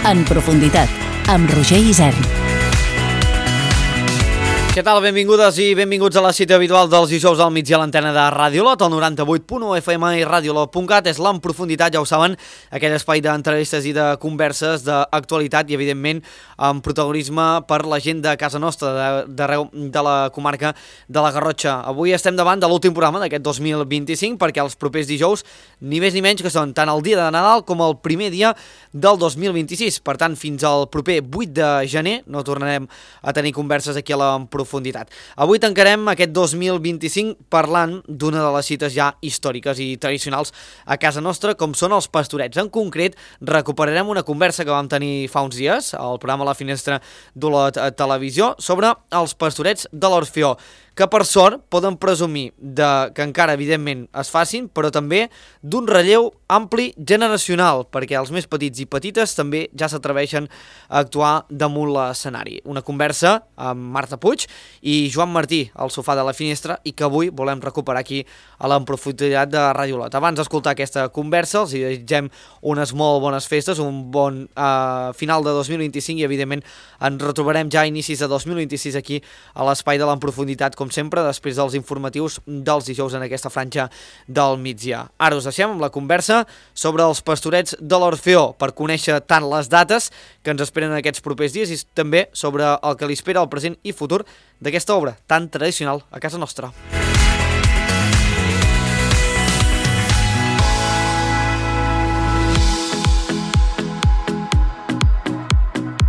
En profunditat, amb Roger Isern. Què tal? Benvingudes i benvinguts a la cita habitual dels dijous al migdia a l'antena de Radiolot, el 98.1 FM i radiolot.cat. És l'En Profunditat, ja ho saben, aquell espai d'entrevistes i de converses d'actualitat i, evidentment, amb protagonisme per la gent de casa nostra, d'arreu de la comarca de la Garrotxa. Avui estem davant de l'últim programa d'aquest 2025, perquè els propers dijous, ni més ni menys que són tant el dia de Nadal com el primer dia del 2026. Per tant, fins al proper 8 de gener no tornarem a tenir converses aquí a l'En Profunditat. Avui tancarem aquest 2025 parlant d'una de les cites ja històriques i tradicionals a casa nostra, com són els pastorets. En concret, recuperarem una conversa que vam tenir fa uns dies al programa La Finestra d'Olot Televisió sobre els pastorets de l'Orfeó, que per sort poden presumir que encara evidentment es facin, però també d'un relleu ampli generacional, perquè els més petits i petites també ja s'atreveixen a actuar damunt l'escenari. Una conversa amb Marta Puig i Joan Martí al sofà de La Finestra i que avui volem recuperar aquí a l'En Profunditat de Radiolot. Abans d'escoltar aquesta conversa els desitgem unes molt bones festes, un bon final de 2025 i evidentment ens retrobarem ja a inicis de 2026 aquí a l'espai de l'En Profunditat, com sempre, després dels informatius dels dijous en aquesta franja del migdia. Ara us deixem amb la conversa sobre els pastorets de l'Orfeó per conèixer tant les dates que ens esperen en aquests propers dies i també sobre el que li espera el present i futur d'aquesta obra tan tradicional a casa nostra.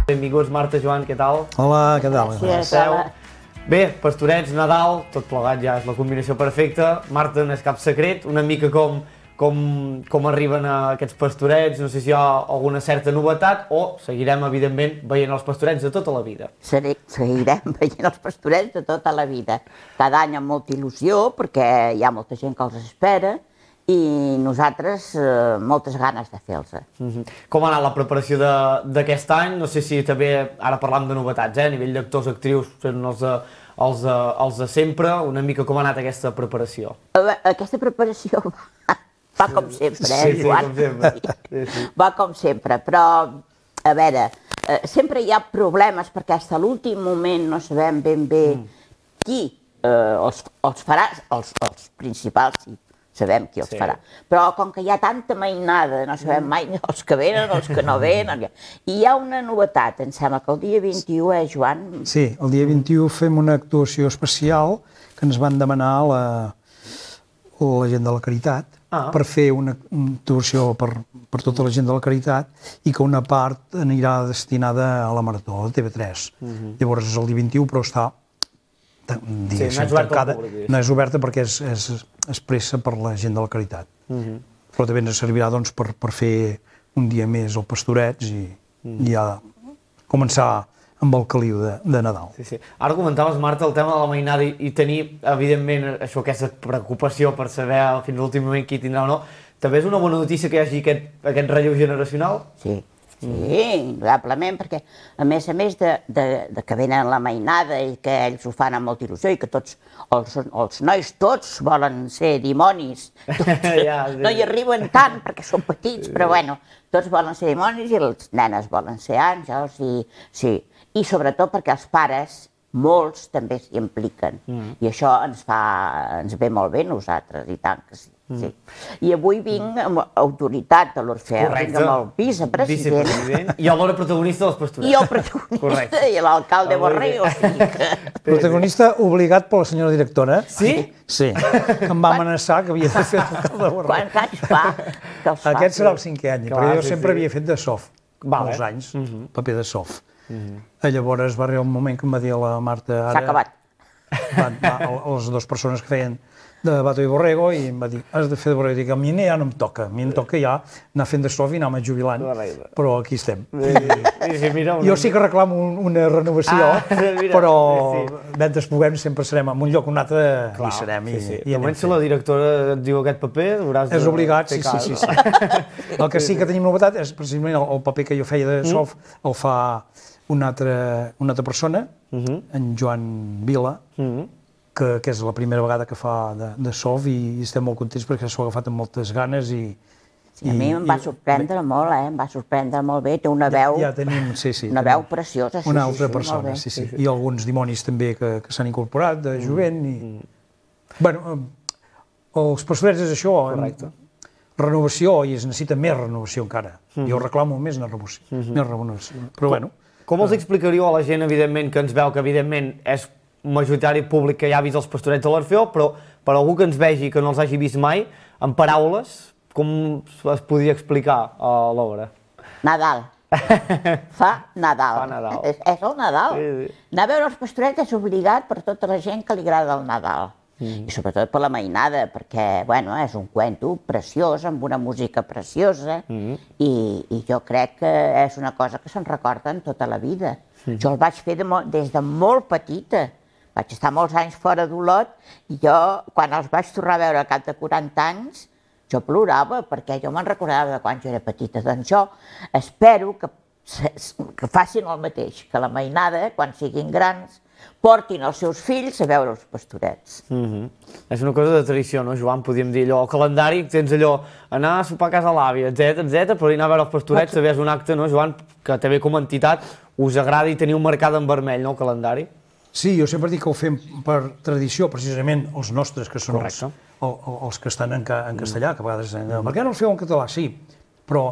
Benvinguts, Marta, Joan, què tal? Hola, què tal? Gràcies. Bé, pastorets, Nadal, tot plegat ja és la combinació perfecta. Marta, no és cap secret, una mica com arriben a aquests pastorets, no sé si hi ha alguna certa novetat o seguirem, evidentment, veient els pastorets de tota la vida. Seguirem veient els pastorets de tota la vida. Cada any amb molta il·lusió, perquè hi ha molta gent que els espera, i nosaltres moltes ganes de fer-los. Com ha anat la preparació d'aquest any? No sé si també, ara parlam de novetats, a nivell d'actors, actrius, són els de sempre, una mica com ha anat aquesta preparació? Aquesta preparació va com sempre, Joan? Sí, com sempre. Va com sempre, però, a veure, sempre hi ha problemes perquè fins a l'últim moment no sabem ben bé qui els farà, els principals, sí. Sabem qui els farà. Però com que hi ha tanta mainada, no sabem mai els que venen, els que no venen. I hi ha una novetat, em sembla que el dia 21, Joan? Sí, el dia 21 fem una actuació especial que ens van demanar la gent de la Caritat per fer una actuació per tota la gent de la Caritat i que una part anirà destinada a la Marató, a TV3. Llavors és el dia 21, però està tancada. No és oberta perquè és pressa per la gent de la Caritat. Però també ens servirà per fer un dia més al Pastorets i ja començar amb el caliu de Nadal. Ara comentaves, Marta, el tema de la mainada i tenir, evidentment, aquesta preocupació per saber fins a l'últim moment qui tindrà o no. També és una bona notícia que hi hagi aquest relleu generacional? Sí. Sí, indudablement, perquè a més de que venen la mainada i que ells ho fan amb molta il·lusió i que tots, els nois tots volen ser dimonis, no hi arriben tant perquè són petits, però bueno, tots volen ser dimonis i les nenes volen ser àngels i sobretot perquè els pares, molts també s'hi impliquen i això ens ve molt bé a nosaltres, i tant que sí. I avui vinc amb autoritat de l'Orfeó, vinc amb el vicepresident. I alhora protagonista dels pastorets. I el protagonista i l'alcalde Borrego. Protagonista obligat per la senyora directora. Sí? Sí, que em va amenaçar que havia de fer l'alcalde Borrego. Quants anys fa que els fa? Aquest serà el 5è any, perquè jo sempre havia fet de sof, molts anys, paper de sof. Llavors va arribar un moment que em va dir la Marta... S'ha acabat. Les dues persones que feien de Bato i Borrego i em va dir, has de fer de Borrego. I dic, a mi ja no em toca, a mi em toca ja anar fent de sof i anar-me jubilant, però aquí estem. Jo sí que reclamo una renovació, però mentre puguem sempre serem en un lloc o un altre, hi serem. De moment, si la directora et diu aquest paper, hauràs de... És obligat, sí. El que sí que tenim novetat és precisament el paper que jo feia de sof, el fa una altra persona, en Joan Vila, que és la primera vegada que fa de sof i estem molt contents perquè s'ho ha agafat amb moltes ganes i Sí, a mi em va sorprendre molt, em va sorprendre molt bé. Té una veu, Ja tenim, sí, una veu preciosa. una altra persona, sí. I alguns dimonis també que s'han incorporat de jovent. Bueno, els pastorets és això, renovació, i es necessita més renovació encara. Jo reclamo més renovació. Però bueno. Com els explicaríeu a la gent, evidentment, que ens veu, que evidentment és majoritari públic que ja ha vist els pastorets de l'Orfeó, però per algú que ens vegi, que no els hagi vist mai, en paraules, com es podria explicar a l'obra? Nadal. Fa Nadal. Fa Nadal. És el Nadal. Sí. Anar a veure els pastorets és obligat per tota la gent que li agrada el Nadal. I sobretot per la mainada, perquè, bueno, és un cuento preciós, amb una música preciosa, i jo crec que és una cosa que se'n recorden tota la vida. Jo el vaig fer des de molt petita. Vaig estar molts anys fora d'Olot, i jo, quan els vaig tornar a veure al cap de 40 anys, jo plorava, perquè jo me'n recordava de quan jo era petita. Doncs jo espero que facin el mateix, que la mainada, quan siguin grans, portin els seus fills a veure els pastorets. És una cosa de tradició, no, Joan? Podríem dir allò, el calendari, tens allò, anar a sopar a casa l'àvia, etc, però anar a veure els pastorets també és un acte, no, Joan, que també com a entitat us agrada i teniu marcat en vermell, no, el calendari? Sí, jo sempre dic que ho fem per tradició, precisament els nostres, que són els que estan en castellà, que a vegades per què no els feu en català? Sí, però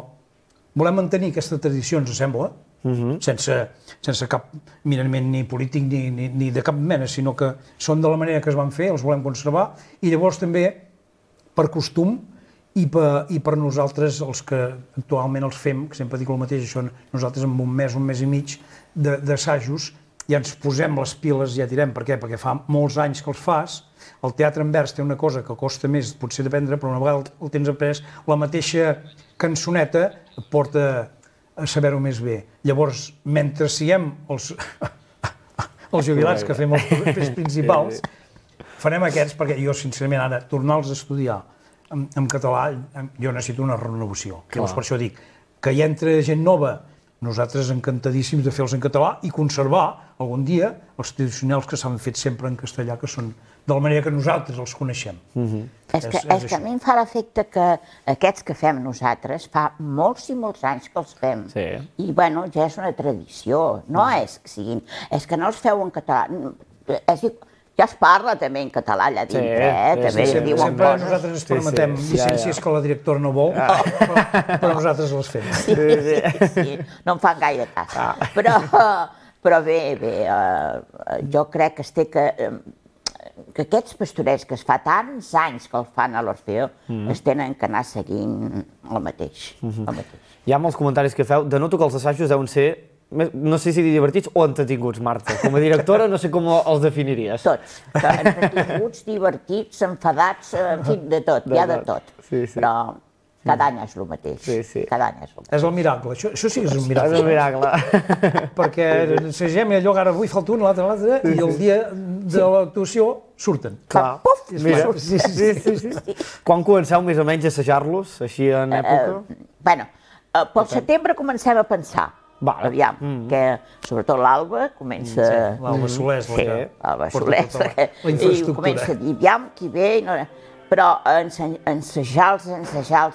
volem mantenir aquesta tradició, ens sembla, sense cap mirament ni polític ni de cap mena, sinó que són de la manera que es van fer, els volem conservar, i llavors també per costum i per nosaltres, els que actualment els fem, que sempre dic el mateix, això nosaltres en un mes i mig d'assajos ja ens posem les piles i ja tirem. Per què? Perquè fa molts anys que els fas. El teatre en vers té una cosa que costa més potser d'aprendre, però una vegada el tens après, la mateixa cançoneta et porta a saber-ho més bé. Llavors, mentre siguem els jubilats que fem els papers principals, farem aquests, perquè jo, sincerament, ara, tornar-los a estudiar en català, jo necessito una renovació. Llavors, per això dic que hi entra gent nova, nosaltres encantadíssims de fer-los en català i conservar algun dia els tradicionals que s'han fet sempre en castellà, que són de la manera que nosaltres els coneixem. És que a mi em fa l'efecte que aquests que fem nosaltres fa molts i molts anys que els fem. I, bueno, ja és una tradició. No és que siguin... És que no els feu en català. Ja es parla també en català allà dintre, també diuen coses. Sempre nosaltres ens permetem llicències que la directora no vol, però nosaltres les fem. Sí, no em fan gaire cas. Però bé, jo crec que aquests pastorets que es fa tants anys que els fan a l'Orfeó es tenen que anar seguint el mateix. Hi ha molts comentaris que feu. Denoto que els assajos deuen ser, no sé si divertits o entretinguts, Marta. Com a directora no sé com els definiries. Tots. Entretinguts, divertits, enfadats, en fi, de tot, hi ha de tot. Però cada any és el mateix. Cada any és el mateix. És el miracle, això sí que és un miracle. És un miracle. Perquè ensagem i allò, ara avui falta un, l'altre, i el dia de l'actuació surten. Clar. Puf! Sí. Quan comenceu més o menys a assajar-los, així en època? Bueno, pel setembre comencem a pensar. Aviam, que sobretot l'Alba comença... L'Alba Soler és l'Alba Soler, i comença a dir, aviam, qui ve... Però ensajar-los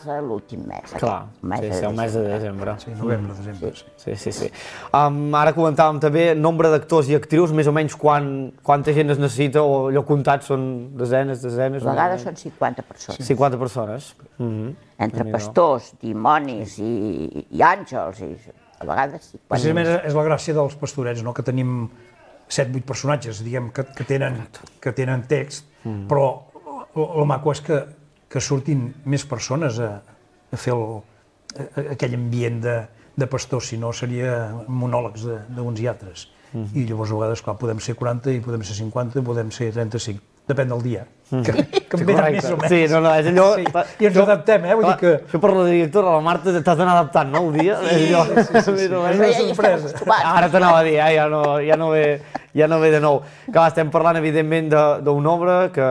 a l'últim mes. Clar, el mes de desembre. Sí, novembre, desembre. Sí. Ara comentàvem també nombre d'actors i actrius, més o menys quanta gent es necessita, o allò comptat són desenes... A vegades són 50 persones. 50 persones. Entre pastors, dimonis i àngels, a vegades 50. Precisament és la gràcia dels pastorets, que tenim 7-8 personatges, diguem, que tenen text, però el maco és que surtin més persones a fer aquell ambient de pastor, si no seria monòlegs d'uns i altres. I llavors a vegades, clar, podem ser 40 i podem ser 50 i podem ser 35. Depèn del dia, que em venen més o menys. Sí, no, és allò... I ens adaptem, vull dir que... Això per la directora, la Marta, t'has d'anar adaptant, no, el dia? Sí. És una sorpresa. Ara t'anava a dir, ja no ve de nou. Clar, estem parlant, evidentment, d'una obra que,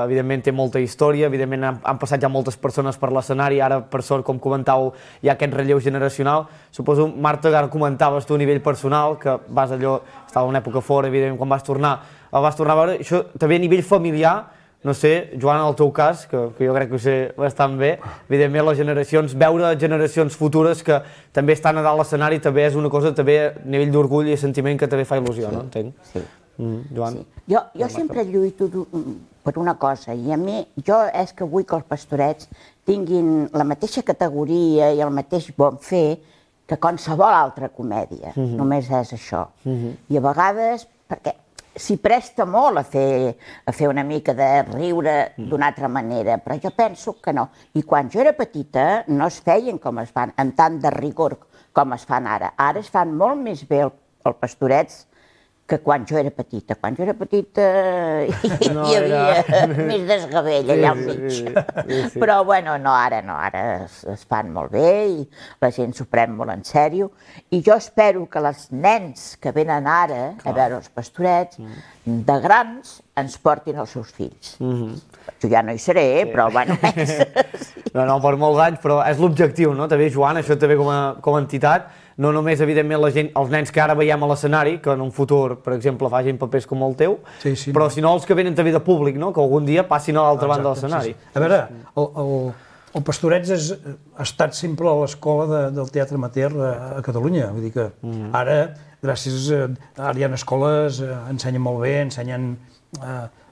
evidentment, té molta història, evidentment, han passat ja moltes persones per l'escenari, ara, per sort, com comentàveu, hi ha aquest relleu generacional. Suposo, Marta, ara comentaves tu a nivell personal, que estava una època fora, evidentment, quan vas tornar a veure, això també a nivell familiar, no sé, Joan, en el teu cas, que jo crec que ho sé bastant bé, evidentment les generacions, veure generacions futures que també estan a dalt l'escenari també és una cosa, també a nivell d'orgull i sentiment que també fa il·lusió, no? Entenc? Sí. Joan? Sí. Jo sempre lluito per una cosa, i a mi, jo és que vull que els pastorets tinguin la mateixa categoria i el mateix bon fer que qualsevol altra comèdia. Només és això. I a vegades, perquè s'hi presta molt a fer una mica de riure d'una altra manera, però jo penso que no. I quan jo era petita no es feien com es fan, amb tant de rigor com es fan ara. Ara es fan molt més bé els pastorets que quan jo era petita. Quan jo era petita hi havia més desgavell allà al mig. Però, bueno, no, ara es fan molt bé i la gent s'ho pren molt en sèrio. I jo espero que els nens que venen ara a veure els pastorets, de grans, ens portin els seus fills. Jo ja no hi seré, però, bueno... No, per molts anys, però és l'objectiu, no? També, Joan, això també com a entitat, no només, evidentment, la gent, els nens que ara veiem a l'escenari, que en un futur, per exemple, facin papers com el teu, però sinó els que venen també de públic, no? Que algun dia passin a l'altra banda de l'escenari. A veure, el Pastorets ha estat sempre a l'escola del teatre amateur a Catalunya. Vull dir que ara, gràcies ara hi ha escoles, ensenyen molt bé, ensenyen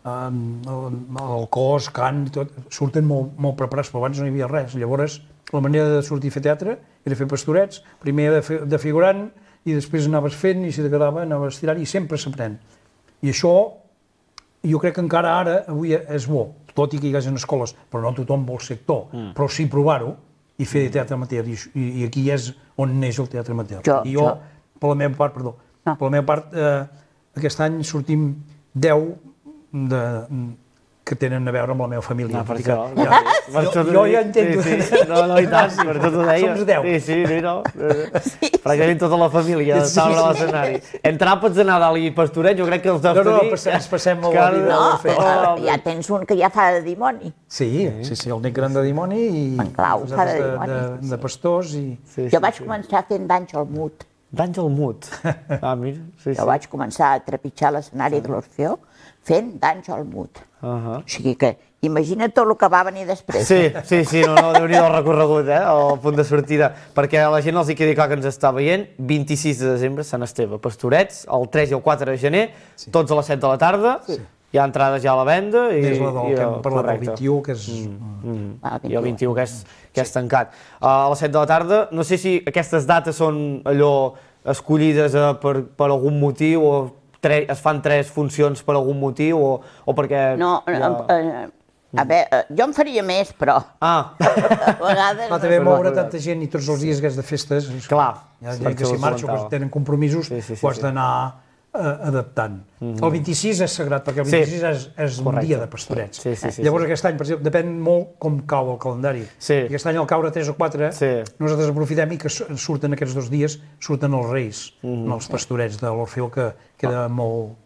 el cos, cant, tot, surten molt preparats, però abans no hi havia res. Llavors, la manera de sortir a fer teatre era fer pastorets, primer de figurant, i després anaves fent, i si t'agradava anaves tirant, i sempre s'aprèn. I això, jo crec que encara ara, avui és bo, tot i que hi hagi escoles, però no tothom vol ser actor, però sí provar-ho i fer teatre amateur, i aquí és on neix el teatre amateur. I jo, per la meva part, aquest any sortim 10 que tenen a veure amb la meva família. Per això. Jo ja entendo. No, i tant, per tot ho deia. Som 10. Sí, no. Pràcticament tota la família estava a l'escenari. Entre àpats de Nadal i Pastoret, jo crec que els deus tenir... No, ens passem molt la vida. No, ja tens un que ja fa de dimoni. Sí, el net gran de dimoni i de pastors. Jo vaig començar fent d'Àngel Mut. D'Àngel Mut? Ah, mira. Jo vaig començar a trepitjar l'escenari de l'Orfeó fent d'Àngel Mut. O sigui que imagina't tot el que va venir després. Sí, no, Déu-n'hi-do el recorregut, el punt de sortida. Perquè a la gent els hi quedi clar que ens està veient, 26 de desembre, Sant Esteve, Pastorets, el 3 i el 4 de gener, tots a les 7 de la tarda, hi ha entrades ja a la venda. És la del que hem parlat del 21, que és... I el 21, que és tancat. A les 7 de la tarda, no sé si aquestes dates són allò escollides per algun motiu o es fan 3 funcions per algun motiu o perquè... No, a veure, jo en faria més, però... A vegades... Va també moure tanta gent i tots els dies que és de festes... Clar. Hi ha gent que s'hi marxa o que tenen compromisos, ho has d'anar adaptant. El 26 és sagrat, perquè el 26 és un dia de pastorets. Llavors aquest any, per exemple, depèn molt com cau el calendari. Aquest any al caure 3 o 4, nosaltres aprofitem i que surten aquests 2 dies, surten els Reis, els pastorets de l'Orfeó, que queda molt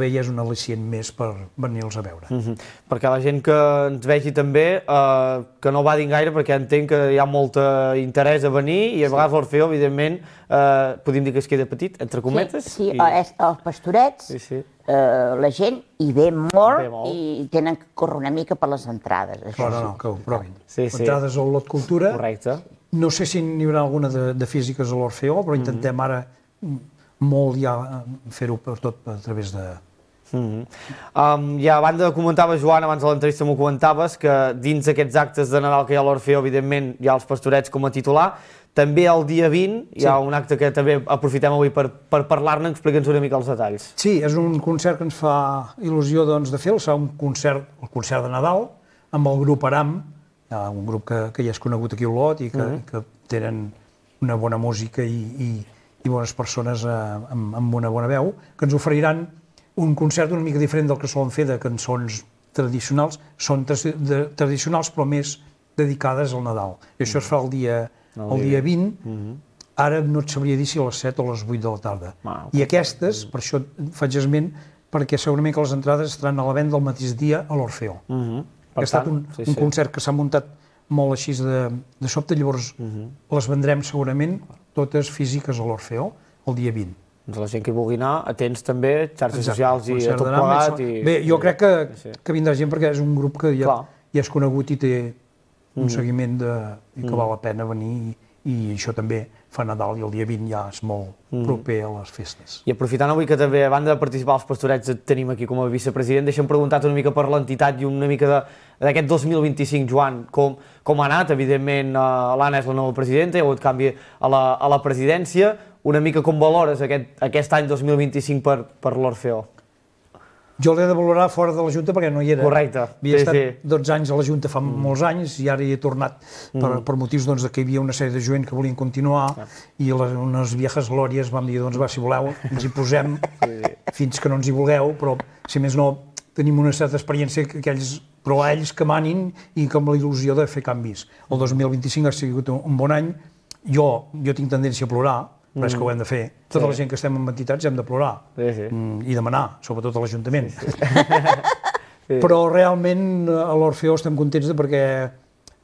bé i és un al·licient més per venir-los a veure. Perquè la gent que ens vegi també, que no badin gaire, perquè entenc que hi ha molt interès a venir i a vegades l'Orfeó, evidentment, podem dir que es queda petit, entre cometes. Sí, els pastorets, la gent hi ve molt i tenen que córrer una mica per les entrades. No, que ho provin. Entrades al Lot Cultura. Correcte. No sé si n'hi haurà alguna de físiques a l'Orfeó, però intentem ara molt ja fer-ho tot a través de... I a banda comentaves, Joan, abans de l'entrevista m'ho comentaves, que dins d'aquests actes de Nadal que hi ha a l'Orfeó, evidentment hi ha els pastorets com a titular, també el dia 20 hi ha un acte que també aprofitem avui per parlar-ne, explica'ns una mica els detalls. Sí, és un concert que ens fa il·lusió de fer, el concert de Nadal, amb el grup Aram, un grup que ja és conegut aquí a Olot i que tenen una bona música i bones persones amb una bona veu, que ens oferiran un concert una mica diferent del que solen fer de cançons tradicionals. Són tradicionals però més dedicades al Nadal. I això es fa el dia 20. Ara no et sabria dir si a les 7 o a les 8 de la tarda. I aquestes, per això faig esment, perquè segurament que les entrades estaran a la venda el mateix dia a l'Orfeó. Ha estat un concert que s'ha muntat molt així de sobte, llavors les vendrem segurament totes físiques a l'Orfeó el dia 20. Doncs la gent que hi vulgui anar, atents també, xarxes socials i tot plegat. Bé, jo crec que vindrà gent perquè és un grup que ja és conegut i té un seguiment i que val la pena venir, i això també fa Nadal i el dia 20 ja és molt proper a les festes. I aprofitant avui que també, a banda de participar als pastorets, et tenim aquí com a vicepresident, deixa'm preguntar-te una mica per l'entitat i una mica d'aquest 2025, Joan, com ha anat? Evidentment, l'Anna és la nova presidenta, hi ha hagut canvi a la presidència. Una mica com valores aquest any 2025 per l'Orfeó? Jo l'he de valorar fora de la Junta perquè no hi era. Correcte. Havia estat 12 anys a la Junta fa molts anys i ara hi he tornat per motius que hi havia una sèrie de gent que volien continuar i unes viejas glòries vam dir, doncs va, si voleu, ens hi posem fins que no ens hi vulgueu, però si més no tenim una certa experiència però ells que manin i amb la il·lusió de fer canvis. El 2025 ha sigut un bon any. Jo tinc tendència a plorar, però és que ho hem de fer. Tota la gent que estem en entitats hem de plorar i demanar, sobretot a l'Ajuntament. Però realment a l'Orfeó estem contents perquè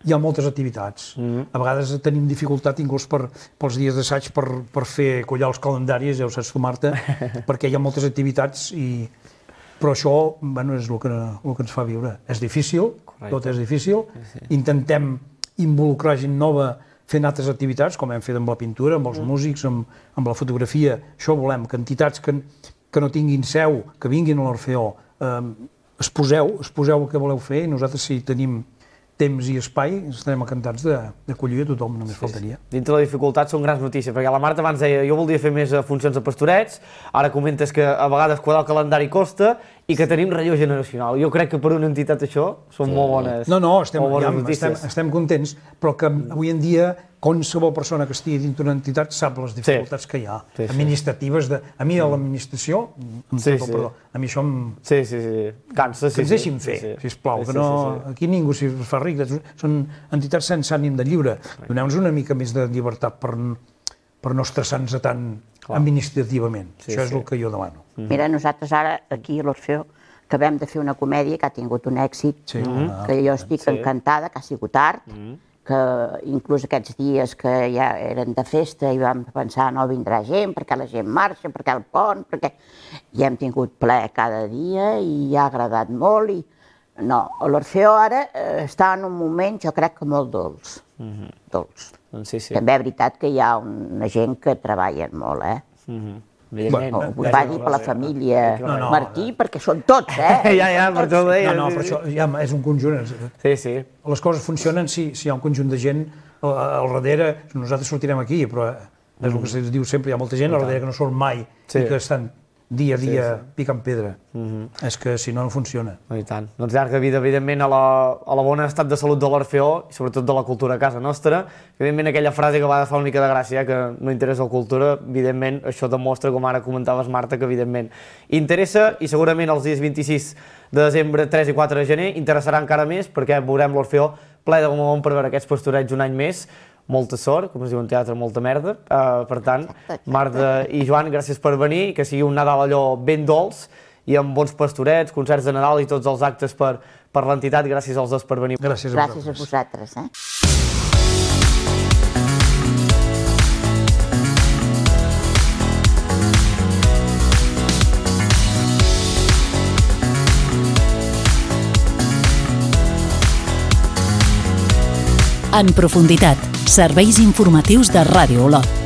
hi ha moltes activitats. A vegades tenim dificultat inclús pels dies d'assaig per fer collar els calendaris, ja ho saps tu, Marta, perquè hi ha moltes activitats però això és el que ens fa viure. És difícil, tot és difícil. Intentem involucrar gent nova fent altres activitats, com hem fet amb la pintura, amb els músics, amb la fotografia. Això volem, que entitats que no tinguin seu, que vinguin a l'Orfeó, exposeu el que voleu fer i nosaltres, si tenim temps i espai, estarem encantats d'acollir a tothom, només faltaria. Dintre la dificultat són grans notícies, perquè la Marta abans deia jo voldria fer més funcions de pastorets, ara comentes que a vegades quadrar el calendari costa i que tenim relleu generacional. Jo crec que per una entitat això són molt bones. No, estem contents, però que avui en dia qualsevol persona que estigui dintre d'una entitat sap les dificultats que hi ha, administratives. A mi, a l'administració, a mi això em... Cansa, que ens deixin fer, sisplau, que no... Aquí ningú s'hi fa ric, són entitats sense ànim de lliure. Doneu-nos una mica més de llibertat per no estressar-nos tant administrativament. Això és el que jo demano. Mira, nosaltres ara, aquí a l'Orfeó, acabem de fer una comèdia que ha tingut un èxit, que jo estic encantada, que ha sigut art, que inclús aquests dies que ja eren de festa i vam pensar no vindrà gent, perquè la gent marxa, perquè el pont, perquè... I hem tingut ple cada dia i ha agradat molt i... No, l'Orfeó ara està en un moment, jo crec que molt dolç. Dolç. També és veritat que hi ha una gent que treballen molt, Ho va dir per la família Martí, perquè són tots, Ja, per tot ho deia. No, però això ja és un conjunt. Sí. Les coses funcionen si hi ha un conjunt de gent al darrere. Nosaltres sortirem aquí, però és el que se diu sempre, hi ha molta gent al darrere que no surt mai i que estan dia a dia picant pedra. És que si no, no funciona. I tant. Doncs llarga vida, evidentment, a la bona estat de salut de l'Orfeó i sobretot de la cultura a casa nostra. Evidentment, aquella frase que va fa una mica de gràcia, que no interessa la cultura, evidentment, això demostra, com ara comentaves, Marta, que evidentment interessa i segurament els dies 26 de desembre, 3 i 4 de gener interessarà encara més perquè veurem l'Orfeó ple de bon per veure aquests pastorets un any més. Molta sort, com es diu en teatre, molta merda. Per tant, Marta i Joan, gràcies per venir, que sigui un Nadal allò ben dolç i amb bons pastorets, concerts de Nadal i tots els actes per l'entitat. Gràcies als dos per venir. Gràcies a vosaltres. En profunditat, serveis informatius de Ràdio Olot.